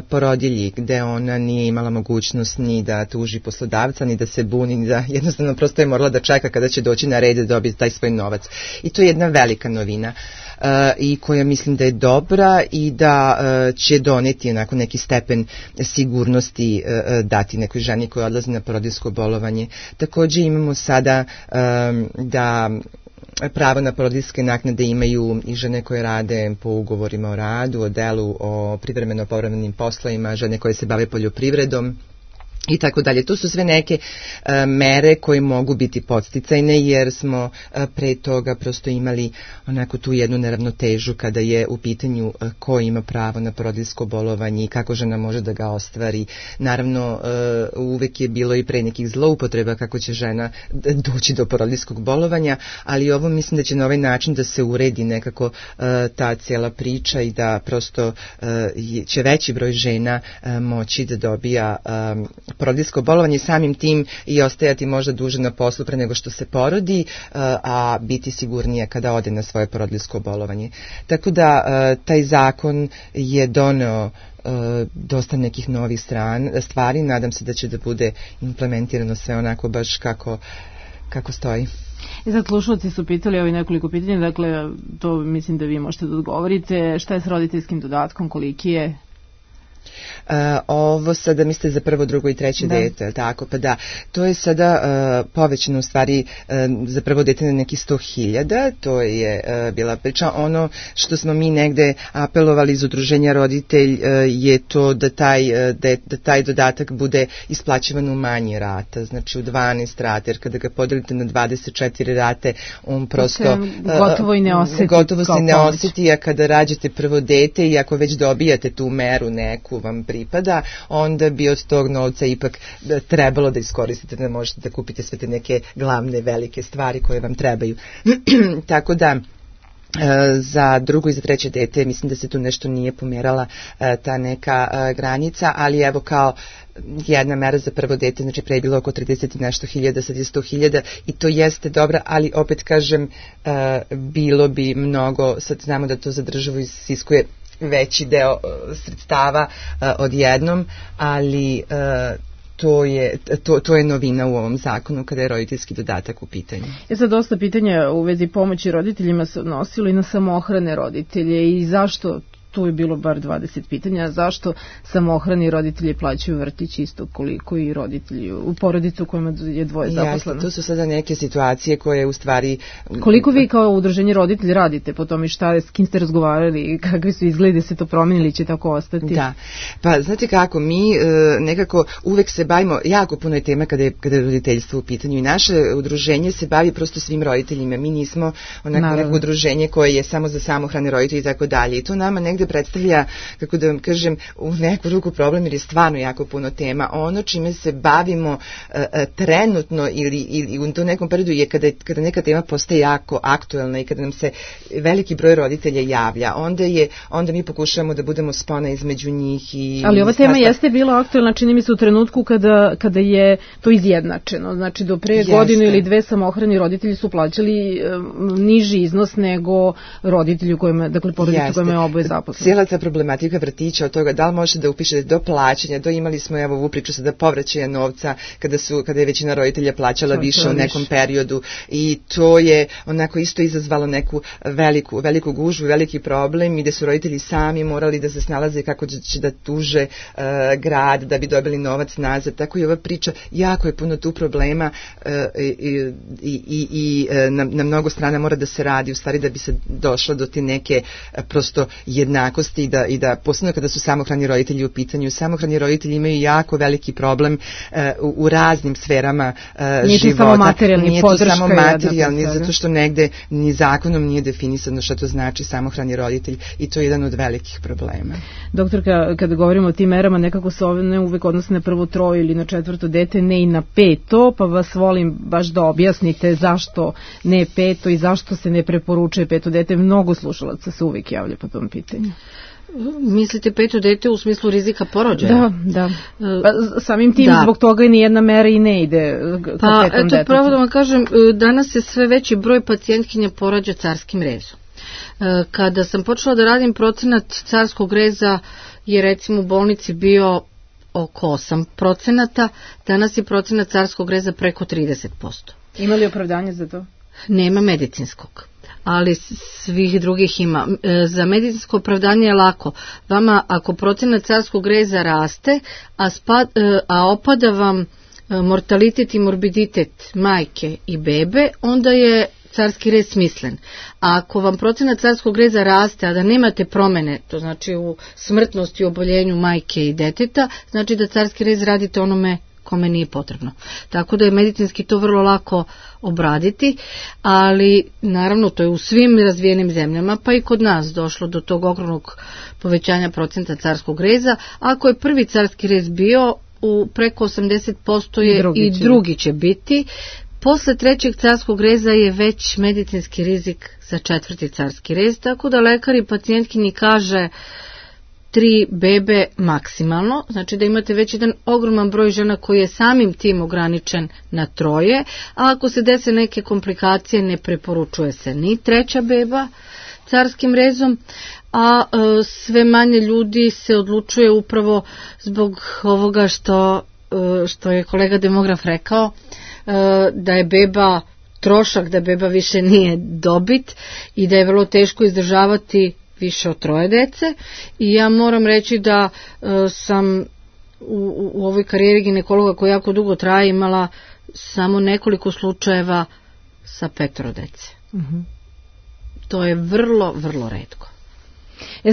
porodilji, gde ona nije imala mogućnost ni da tuži poslodavca, ni da se buni, ni da jednostavno prosto je morala da čeka kada će doći na red da dobije taj svoj novac. I to je jedna velika novina i koja mislim da je dobra i da će doneti onako neki stepen sigurnosti dati nekoj ženi koja odlazi na porodiljsko bolovanje. Takođe imamo sada da pravo na porodiljske naknade imaju i žene koje rade po ugovorima o radu, o delu, o privremeno povremenim poslovima, žene koje se bave poljoprivredom i tako dalje. To su sve neke mere koje mogu biti podsticajne, jer smo pre toga prosto imali onako tu jednu neravnotežu kada je u pitanju ko ima pravo na porodiljsko bolovanje i kako žena može da ga ostvari. Naravno, uvek je bilo i pre nekih zloupotreba kako će žena doći do porodiljskog bolovanja, ali ovo mislim da će na ovaj način da se uredi nekako ta cijela priča i da prosto će veći broj žena moći da dobija porodiljsko bolovanje, samim tim i ostajati možda duže na poslu pre nego što se porodi, a biti sigurnija kada ode na svoje porodiljsko bolovanje. Tako da taj zakon je doneo dosta nekih novih stvari, nadam se da će da bude implementirano sve onako baš kako stoji. I sad slušalci su pitali ovi nekoliko pitanja, dakle to mislim da vi možete da odgovorite. Šta je s roditeljskim dodatkom, koliki je? Ovo sada mislite za prvo, drugo i treće dete, tako, pa da, to je sada povećano u stvari za prvo dete na neki 100.000, to je bila priča. Ono što smo mi negde apelovali iz udruženja roditelj je to da taj dodatak bude isplaćivan u manje rata, znači u 12 rata, jer kada ga podelite na 24 rate, on prosto gotovo se ne osjeti, a kada rađate prvo dete i ako već dobijate tu meru neku vam pripada, onda bi od tog novca ipak trebalo da iskoristite, da možete da kupite sve te neke glavne velike stvari koje vam trebaju. Tako da za drugo i za treće dete mislim da se tu nešto nije pomerala ta neka granica, ali evo kao jedna mera za prvo dete, znači pre je bilo oko 30 i nešto hiljada, sad je 100.000 i to jeste dobra, ali opet kažem bilo bi mnogo, sad znamo da to za državu isiskuje veći deo sredstava odjednom, ali to je novina u ovom zakonu kada je roditeljski dodatak u pitanju. Sad dosta pitanja u vezi pomoći roditeljima se odnosilo i na samohrane roditelje i zašto, tu je bilo bar 20 pitanja, zašto samohrani roditelji plaćaju vrtić isto koliko i roditelji u porodicu u kojima je dvoje zaposleno? Jasno, to su sada neke situacije koje u stvari... Koliko vi kao udruženje roditelji radite po tome, s kim ste razgovarali, kakvi su izgledi, se to promenili, će tako ostati? Da, pa znate kako, mi nekako uvek se bavimo, jako puno je tema kada je roditeljstvo u pitanju i naše udruženje se bavi prosto svim roditeljima, mi nismo onako neko udruženje koje je samo za samohrane roditelje i tako dalje i to nama negde predstavlja, kako da vam kažem, u neku ruku problem jer je stvarno jako puno tema. Ono čime se bavimo trenutno ili u tom nekom periodu je kada neka tema postaje jako aktuelna i kada nam se veliki broj roditelja javlja, onda mi pokušavamo da budemo spona između njih. Ali ova tema jeste bila aktuelna, čini mi se u trenutku kada je to izjednačeno. Znači do pre godinu ili dve samohrani roditelji su plaćali niži iznos nego roditelji kojima, dakle porodicu kojima je oboje zaposleno. Cijela ta problematika vrtića od toga da li možete da upišete do plaćanja, imali smo evo ovu priču sada povraćaja novca kada je većina roditelja plaćala više u nekom periodu i to je onako isto izazvalo neku veliku gužvu, veliki problem i gde su roditelji sami morali da se snalaze kako će da tuže grad da bi dobili novac nazad, tako i ova priča, jako je puno tu problema i na mnogo strana mora da se radi u stvari da bi se došlo do te neke prosto jednakosti i da posebno kada su samohrani roditelji u pitanju, samohrani roditelji imaju jako veliki problem u raznim sferama života. Nije to samo materijalni, zato što negde ni zakonom nije definisano šta to znači samohrani roditelj i to je jedan od velikih problema. Doktorka, kada govorimo o tim merama, nekako se ne uvek odnose na prvo troje ili na četvrto dete, ne i na peto, pa vas volim baš da objasnite zašto ne peto i zašto se ne preporučuje peto dete. Mnogo slušalaca se uvek javlja po tom pitanju. Mislite peto dete u smislu rizika porođaja? Da. Samim tim zbog toga ni jedna mera i ne ide ka petom detetu. Pravo da vam kažem, danas se sve veći broj pacijentkinja porađa carskim rezom. Kada sam počela da radim, procenat carskog reza je recimo u bolnici bio oko 8%, danas je procenat carskog reza preko 30%. Ima li opravdanje za to? Nema medicinskog, ali svih drugih ima. Za medicinsko opravdanje je lako. Vama ako procenat carskog reza raste, a opada vam mortalitet i morbiditet majke i bebe, onda je carski rez smislen. A ako vam procenat carskog reza raste, a da nemate promene, to znači u smrtnosti i oboljenju majke i deteta, znači da carski rez radite onome kome nije potrebno. Tako da je medicinski to vrlo lako obraditi, ali naravno to je u svim razvijenim zemljama, pa i kod nas došlo do tog ogromnog povećanja procenta carskog reza. Ako je prvi carski rez bio, u preko 80% je i drugi će biti. Posle trećeg carskog reza je već medicinski rizik za četvrti carski rez, tako da lekar i pacijentkinji kaže 3 bebe maksimalno, znači da imate već jedan ogroman broj žena koji je samim tim ograničen na 3, a ako se dese neke komplikacije ne preporučuje se ni 3. beba carskim rezom, a sve manje ljudi se odlučuje upravo zbog ovoga što je kolega demograf rekao, da je beba trošak, da beba više nije dobit i da je vrlo teško izdržavati više od 3 dece. I ja moram reći da sam u ovoj karijeri ginekologa koja jako dugo traje imala samo nekoliko slučajeva sa 5 dece. To je vrlo, vrlo retko.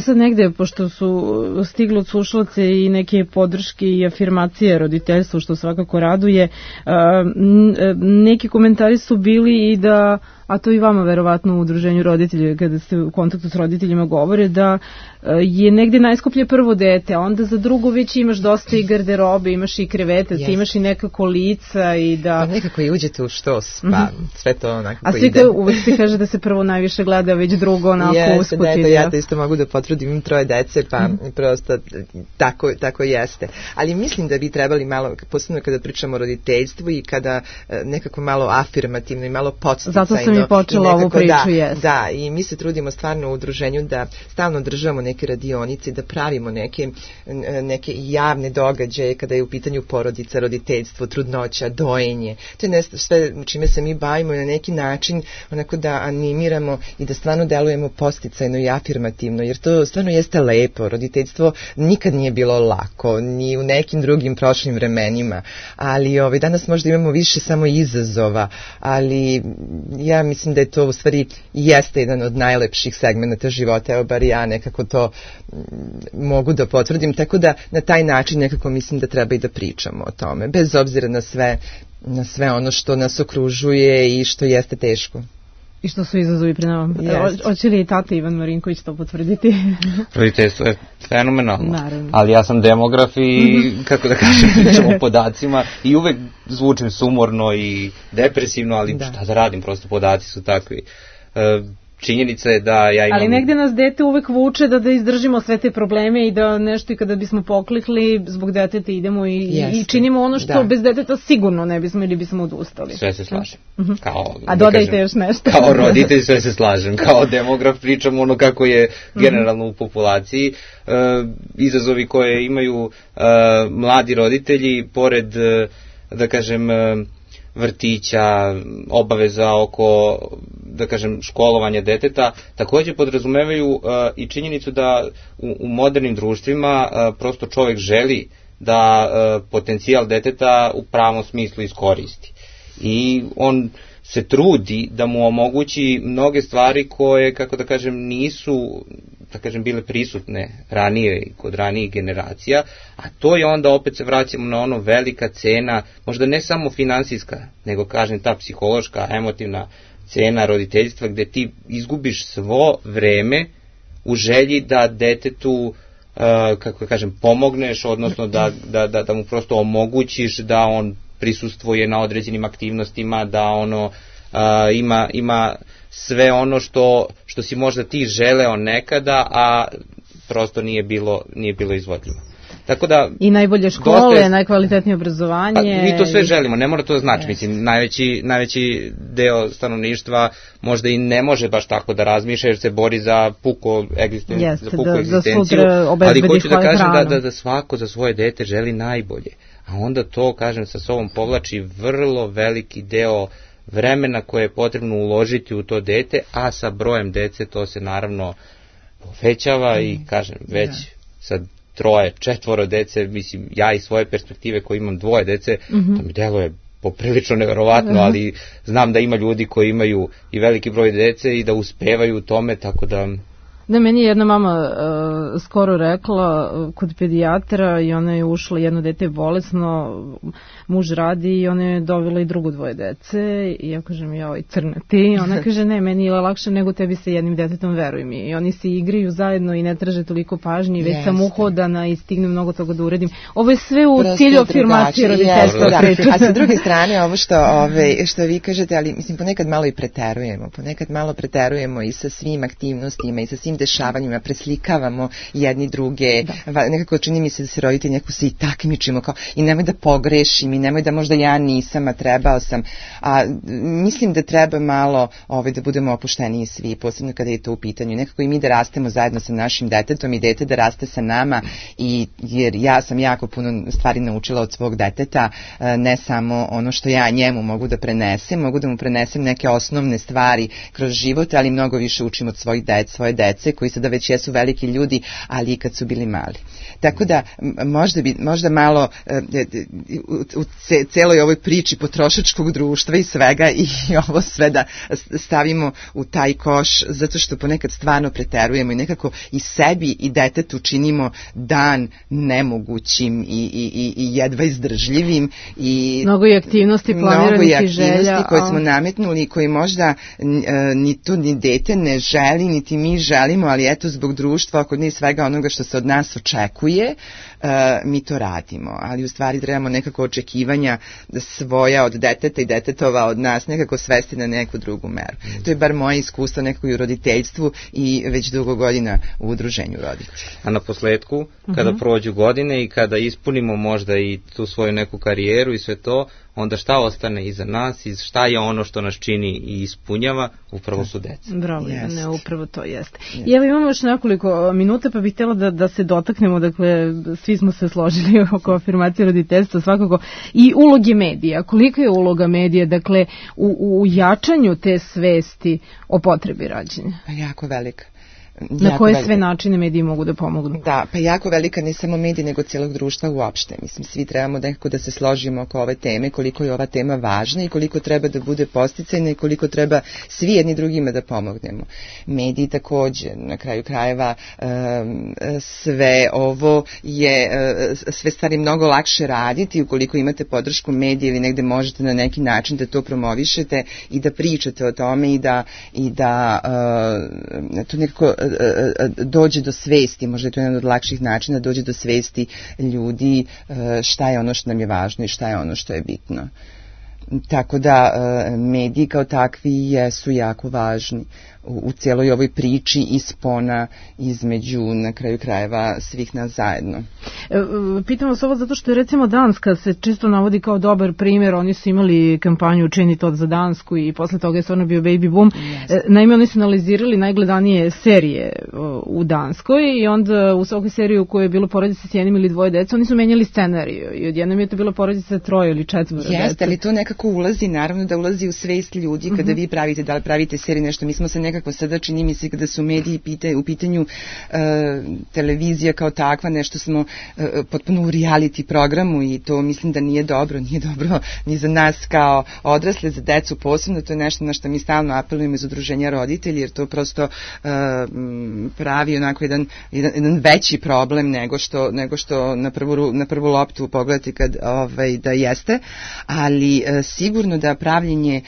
Sad negde, pošto su stigli od slušalaca i neke podrške i afirmacije roditeljstvu, što svakako raduje, neki komentari su bili i da, a to i vama verovatno u udruženju roditelja, kada ste u kontaktu s roditeljima govore, da je negde najskuplje prvo dete, a onda za drugo već imaš dosta i garderobe, imaš i krevetac, imaš i nekako lica i da... Pa nekako i uđete u štos, pa sve to onako ide. A svi uvek se kaže da se prvo najviše gleda, već drugo onako usput. Jeste, ja to isto mogu da potvrdim, imam 3 dece, pa prosto tako jeste. Ali mislim da bi trebali malo, posebno kada pričamo o roditeljstvu i kada nekako malo afirmativno i malo podsticajno. Zato sam i počela ovu priču, jeste. Da, i mi se trudimo stvarno u udruženju da stalno državamo neke radionice, da pravimo neke javne događaje kada je u pitanju porodica, roditeljstvo, trudnoća, dojenje. To je nešto sve čime se mi bavimo i na neki način onako da animiramo i da stvarno delujemo podsticajno i afirmativno, jer to stvarno jeste lepo. Roditeljstvo nikad nije bilo lako, ni u nekim drugim prošlim vremenima, ali danas možda imamo više samo izazova, ali ja mislim da je to u stvari jeste jedan od najlepših segmenta života, evo bar ja nekako to mogu da potvrdim, tako da na taj način nekako mislim da treba i da pričamo o tome, bez obzira na sve ono što nas okružuje i što jeste teško. I što su izazovi pre nama. Hoće li i tata Ivan Marinković to potvrditi? Roditeljstvo je fenomenalno. Naravno. Ali ja sam demograf i, kako da kažem, pričam o podacima i uvek zvučim sumorno i depresivno, ali šta da radim, prosto podaci su takvi. Činjenica je da ja imam... Ali negde nas dete uvek vuče da izdržimo sve te probleme i da nešto i kada bismo poklikli zbog deteta idemo i činimo ono što bez deteta sigurno ne bismo ili bismo odustali. Sve se slažem. A dodajte još nešto. Kao roditelj sve se slažem. Kao demograf pričam ono kako je generalno u populaciji. Izazovi koje imaju mladi roditelji, pored, da kažem, vrtića, obaveza oko, da kažem, školovanja deteta, također podrazumevaju i činjenicu da u modernim društvima prosto čovjek želi da potencijal deteta u pravom smislu iskoristi. i on se trudi da mu omogući mnoge stvari koje, kako da kažem, nisu, da kažem, bile prisutne ranije i kod ranijih generacija, a to je onda, opet se vraćamo na ono, velika cena, možda ne samo finansijska, nego, kažem, ta psihološka, emotivna cena roditeljstva, gde ti izgubiš svo vreme u želji da detetu, kako da kažem, pomogneš, odnosno da mu prosto omogućiš da on prisustvuje na određenim aktivnostima, da ono ima sve ono što si možda ti želeo nekada, a prosto nije bilo izvodljivo. Tako da, i najbolje škole, najkvalitetnije obrazovanje. Pa, mi to sve želimo, ne mora to znači. Mislim, najveći deo stanovništva možda i ne može baš tako da razmišlja, jer se bori za puku egzistenciju, ali hoću da kažem da svako za svoje dete želi najbolje. A onda to, kažem, sa sobom povlači vrlo veliki deo vremena koje je potrebno uložiti u to dete, a sa brojem dece to se naravno povećava i, kažem, već sa 3, 4 dece, mislim, ja iz svoje perspektive koji imam 2 dece, to mi deluje poprilično neverovatno, ali znam da ima ljudi koji imaju i veliki broj dece i da uspevaju u tome, tako da... Da, meni je jedna mama skoro rekla kod pedijatra i ona je ušla, jedno dete je bolesno, muž radi i ona je dovela i drugo 2 dece i ja kažem, joj, crna ti, ona kaže, ne, meni je lakše nego tebi sa jednim detetom, veruj mi, i oni se igraju zajedno i ne traže toliko pažnje, već sam uhodana i stignem mnogo toga da uredim. Ovo je sve u cilju afirmacije roditeljstva. A sa druge strane, ovo što vi kažete, ali mislim, ponekad malo preterujemo i sa svim aktivnostima i sa svim dešavanjima, preslikavamo jedni druge, nekako čini mi se da se roditelji nekako se i takmičimo, kao i nemoj da pogrešim i nemoj da možda ja nisam, a trebao sam, a mislim da treba malo da budemo opušteniji svi, posebno kada je to u pitanju, nekako i mi da rastemo zajedno sa našim detetom i dete da raste sa nama, jer ja sam jako puno stvari naučila od svog deteta, ne samo ono što ja njemu mogu da prenesem, mogu da mu prenesem neke osnovne stvari kroz život, ali mnogo više učim od svoje dece, koji sada već jesu veliki ljudi, ali i kad su bili mali. Tako da možda malo u celoj ovoj priči potrošačkog društva i svega i ovo sve da stavimo u taj koš, zato što ponekad stvarno preterujemo i nekako i sebi i detetu činimo dan nemogućim i jedva izdržljivim. Mnogo i aktivnosti planiranih i želja. Koje smo nametnuli i koji možda ni to ni dete ne želi, niti mi želimo, ali eto zbog društva, oko njih svega onoga što se od nas očekuje, mi to radimo. Ali u stvari trebamo nekako očekivanja svoja od deteta i detetova od nas nekako svesti na neku drugu meru. To je bar moje iskustvo nekako i u roditeljstvu i već dugo godina u udruženju roditelja. A na posledku, kada prođu godine i kada ispunimo možda i tu svoju neku karijeru i sve to, onda šta ostane iza nas i šta je ono što nas čini i ispunjava, upravo su deca. Bravo, ne, upravo to jeste. I evo imamo još nekoliko minuta, pa bih htjela da se dotaknemo, dakle, svi smo se složili oko afirmacije roditeljstva svakako, i uloge medija. Kolika je uloga medija, dakle, u jačanju te svesti o potrebi rađanja? Jako velika. Na koje sve načine mediji mogu da pomognu? Da, pa jako velika, ne samo mediji, nego cijelog društva uopšte. Mislim, svi trebamo nekako da se složimo oko ove teme, koliko je ova tema važna i koliko treba da bude podsticajna i koliko treba svi jedni drugima da pomognemo. Mediji takođe, na kraju krajeva, sve ovo je, sve stvari mnogo lakše raditi ukoliko imate podršku medija ili negde možete na neki način da to promovišete i da pričate o tome i da to nekako dođe do svesti, možda je to jedan od lakših načina, dođe do svesti ljudi šta je ono što nam je važno i šta je ono što je bitno. Tako da mediji kao takvi jesu jako važni u cijeloj ovoj priči i spona između, na kraju krajeva, svih nas zajedno. Pitam vas ovo zato što je recimo Danska se često navodi kao dobar primjer, oni su imali kampanju Učini to za Dansku i posle toga je stvarno bio baby boom. Naime, oni su analizirali najgledanije serije u Danskoj i onda u svakoj seriji u kojoj je bilo porodica s jednim ili 2 dece, oni su menjali scenariju i odjednom je to bilo porodica sa 3 ili 4 dece. Jeste, ali to nekako ulazi, naravno da ulazi u svest ljudi kada vi pravite, da li pravite seriju nešto, mi smo se nekako nekako sada čini mi se kada su mediji u pitanju televizija kao takva, nešto smo potpuno u reality programu i to mislim da nije dobro ni za nas kao odrasle, za decu posebno, to je nešto na što mi stalno apelujemo iz udruženja roditelji, jer to prosto pravi onako jedan veći problem nego što na prvu loptu pogledati kad da jeste, ali sigurno da pravljenje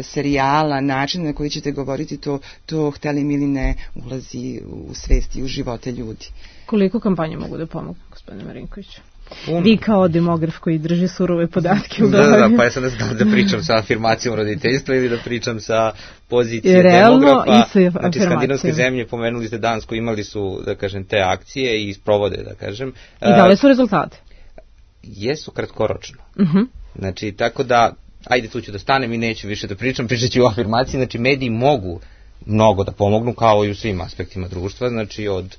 serijala, način na koji ćete govoriti, to hteli mi ili ne ulazi u svesti, u živote ljudi. Koliko kampanje mogu da pomogu, gospodine Marinkoviću? Vi kao demograf koji drži surove podatke u glavi. Da, pa ja sam ne znam da pričam sa afirmacijom roditeljstva ili da pričam sa pozicije demografa. Znači, skandinavske zemlje, pomenuli ste Dansku, imali su, da kažem, te akcije i sprovode, da kažem. I dali su rezultate? Jesu kratkoročno. Znači, tako da, ajde tu ću da stanem i neću više da pričat ću o afirmaciji, znači mediji mogu mnogo da pomognu kao i u svim aspektima društva, znači od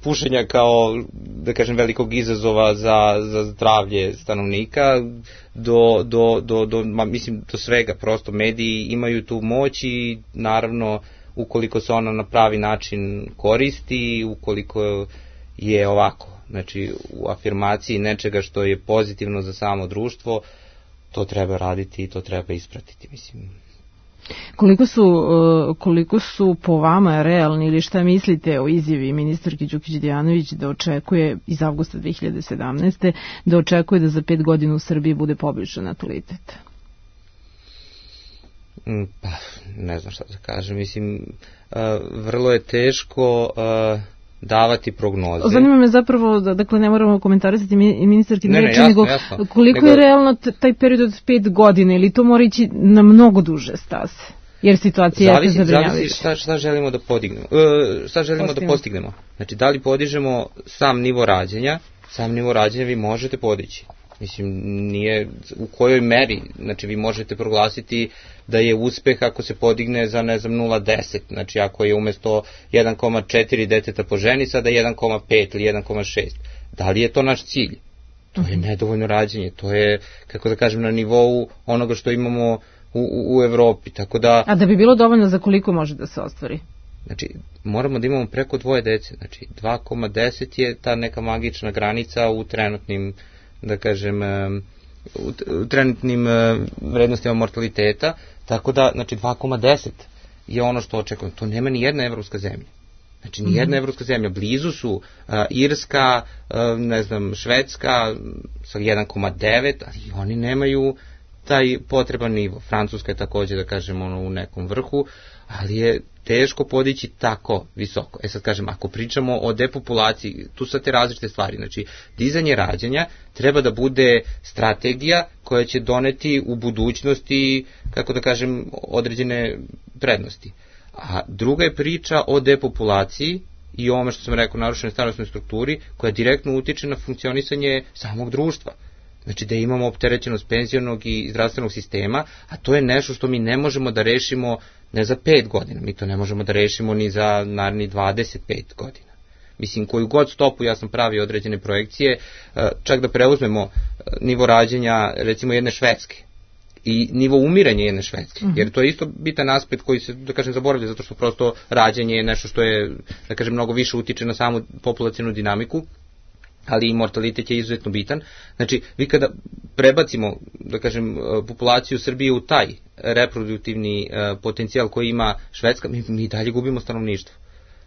pušenja kao, da kažem, velikog izazova za zdravlje stanovnika do svega, prosto mediji imaju tu moć i naravno ukoliko se ona na pravi način koristi, ukoliko je ovako, znači u afirmaciji nečega što je pozitivno za samo društvo, to treba raditi i to treba ispratiti, mislim. Koliko su po vama realni ili šta mislite o izjavi ministarke Đukić-Dejanović da očekuje iz avgusta 2017. da očekuje da za 5 godina u Srbiji bude poboljšan natalitet? Pa, ne znam šta da kažem, mislim, vrlo je teško davati prognoze. Zanima me zapravo, dakle ne moramo komentarisati ministarki reči, nego koliko je realno taj period od 5 godina ili to mora ići na mnogo duže staze? Jer situacija je zabrinjavajuća. Šta želimo da podignemo? Šta želimo da postignemo? Znači, da li podižemo sam nivo rađanja? Sam nivo rađanja vi možete podići. Mislim, nije u kojoj meri, znači vi možete proglasiti da je uspeh ako se podigne za, ne znam, 0,10, znači ako je umesto 1,4 deteta po ženi, sada 1,5 ili 1,6. Da li je to naš cilj? To je nedovoljno rađenje, to je, kako da kažem, na nivou onoga što imamo u Evropi, tako da... A da bi bilo dovoljno, za koliko može da se ostvari? Znači, moramo da imamo preko 2 dece, znači 2,10 je ta neka magična granica u trenutnim, da kažem, u trenutnim vrednostima mortaliteta, tako da, znači, 2,10 je ono što očekujem. To nema ni jedna evropska zemlja. Znači, ni jedna evropska zemlja. Blizu su Irska, ne znam, Švedska sa 1,9, ali oni nemaju taj potreban nivo. Francuska je takođe, da kažem, u nekom vrhu, ali je teško podići tako visoko. Sad kažem, ako pričamo o depopulaciji, tu su te različite stvari. Znači, dizanje rađanja treba da bude strategija koja će doneti u budućnosti, kako da kažem, određene prednosti. A druga je priča o depopulaciji i ovome što sam rekao, narušenoj starosnoj strukturi, koja direktno utiče na funkcionisanje samog društva. Znači da imamo opterećenost penzionog i zdravstvenog sistema, a to je nešto što mi ne možemo da rešimo ne za 5 godina, mi to ne možemo da rešimo ni za naredni 25 godina. Mislim, koju god stopu, ja sam pravio određene projekcije, čak da preuzmemo nivo rađenja, recimo, jedne Švedske i nivo umiranja jedne Švedske, jer to je isto bitan aspekt koji se, da kažem, zaboravlja, zato što prosto rađanje je nešto što je, da kažem, mnogo više utiče na samu populacionu dinamiku, ali i mortalitet je izuzetno bitan. Znači, vi kada prebacimo, da kažem, populaciju Srbije u taj reproduktivni potencijal koji ima Švedska, mi dalje gubimo stanovništvo.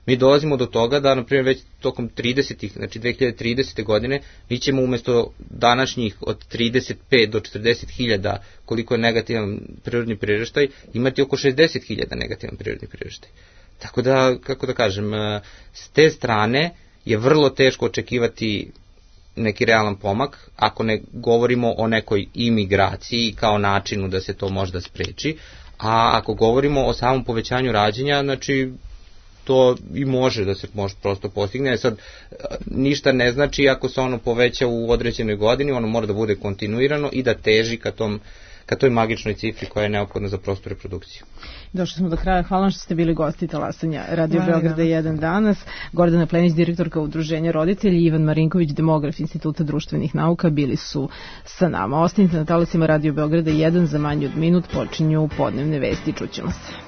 Mi dolazimo do toga da, na primjer, već tokom 30-ih, znači 2030. godine, mi ćemo umesto današnjih od 35 do 40 hiljada, koliko je negativan prirodni priraštaj, imati oko 60 hiljada negativan prirodni priraštaj. Tako da, kako da kažem, s te strane je vrlo teško očekivati neki realan pomak, ako ne govorimo o nekoj imigraciji kao načinu da se to možda spreči, a ako govorimo o samom povećanju rađanja, znači to i može da se prosto postigne. Sad, ništa ne znači ako se ono poveća u određenoj godini, ono mora da bude kontinuirano i da teži ka toj magičnoj cifri koja je neophodna za prostu reprodukciju. Došli smo do kraja. Hvala što ste bili gosti talasanja Radio Beograda 1 danas. Gordana Plenić, direktorka Udruženja roditelji, Ivan Marinković, demograf Instituta društvenih nauka, bili su sa nama. Ostanite na talasima Radio Beograda 1, za manje od minut počinju podnevne vesti. Čućemo se.